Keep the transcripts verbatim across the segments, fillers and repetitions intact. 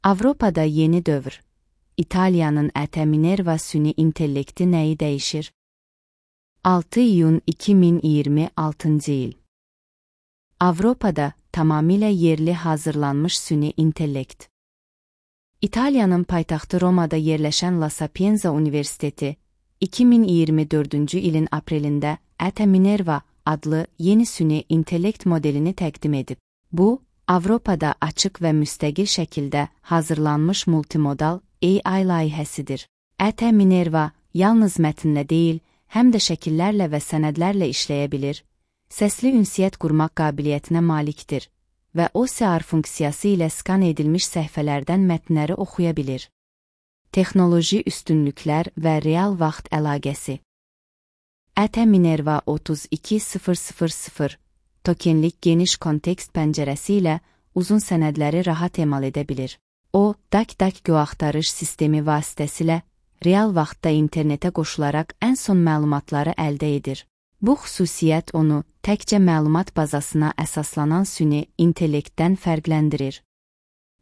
Avropada yeni dövr. İtaliyanın Ete Minerva süni intellekti nəyi dəyişir? altı iyun iki min iyirmi altıncı il. Avropada tamamilə yerli hazırlanmış süni intellekt. İtaliyanın paytaxtı Romada yerləşən La Sapienza Universiteti, iki min iyirmi dördüncü ilin aprelində Ete Minerva adlı yeni süni intellekt modelini təqdim edib. Bu, Avropada açıq və müstəqil şəkildə hazırlanmış multimodal A I layihəsidir. Ete Minerva yalnız mətnlə deyil, həm də şəkillərlə və sənədlərlə işləyə bilir, səsli ünsiyyət qurmaq qabiliyyətinə malikdir və O C R funksiyası ilə skan edilmiş səhifələrdən mətnləri oxuya bilir. Texnoloji üstünlüklər və real vaxt əlaqəsi. Ete Minerva otuz iki min tokenlik geniş kontekst pəncərəsi ilə uzun sənədləri rahat emal edə bilir. O, DuckDuckGo axtarış sistemi vasitəsilə real vaxtda internetə qoşularaq ən son məlumatları əldə edir. Bu xüsusiyyət onu təkcə məlumat bazasına əsaslanan süni intellektdən fərqləndirir.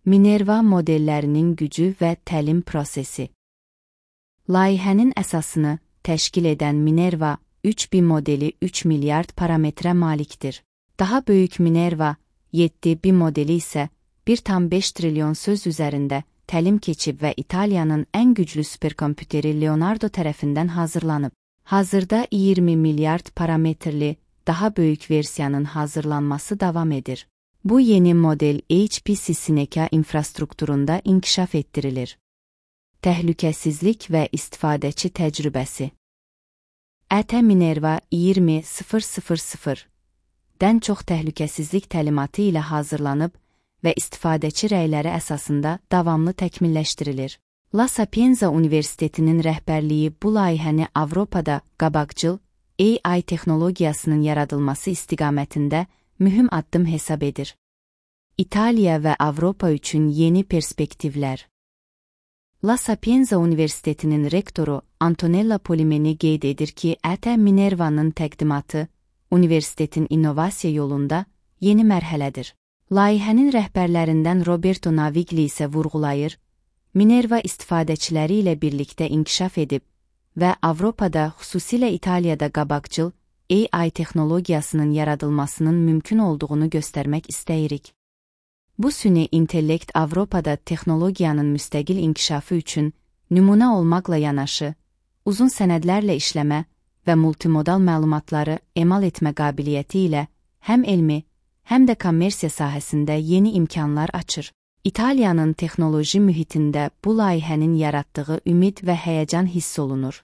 Minerva modellərinin gücü və təlim prosesi. Layihənin əsasını təşkil edən Minerva üç B modeli üç milyard parametrə malikdir. Daha böyük Minerva yeddi B modeli isə bir tam beş trilyon söz üzərində təlim keçib və İtaliyanın ən güclü superkompüteri Leonardo tərəfindən hazırlanıb. Hazırda iyirmi milyard parametrli daha böyük versiyanın hazırlanması davam edir. Bu yeni model H P C Seneca infrastrukturunda inkişaf etdirilir. Təhlükəsizlik və istifadəçi təcrübəsi. Ete Minerva iyirmi min dən çox təhlükəsizlik təlimatı ilə hazırlanıb və istifadəçi rəyləri əsasında davamlı təkmilləşdirilir. La Sapienza Universitetinin rəhbərliyi bu layihəni Avropada qabaqcıl A I texnologiyasının yaradılması istiqamətində mühüm addım hesab edir. İtaliya və Avropa üçün yeni perspektivlər. La Sapienza Universitetinin rektoru Antonella Polimeni qeyd edir ki, Ete Minerva'nın təqdimatı universitetin innovasiya yolunda yeni mərhələdir. Layihənin rəhbərlərindən Roberto Navigli isə vurğulayır, Minerva istifadəçiləri ilə birlikdə inkişaf edib və Avropada, xüsusilə İtaliyada qabaqcıl A I texnologiyasının yaradılmasının mümkün olduğunu göstərmək istəyirik. Bu süni intellekt Avropada texnologiyanın müstəqil inkişafı üçün nümunə olmaqla yanaşı, uzun sənədlərlə işləmə və multimodal məlumatları emal etmə qabiliyyəti ilə həm elmi, həm də kommersiya sahəsində yeni imkanlar açır. İtaliyanın texnoloji mühitində bu layihənin yaratdığı ümid və həyəcan hiss olunur.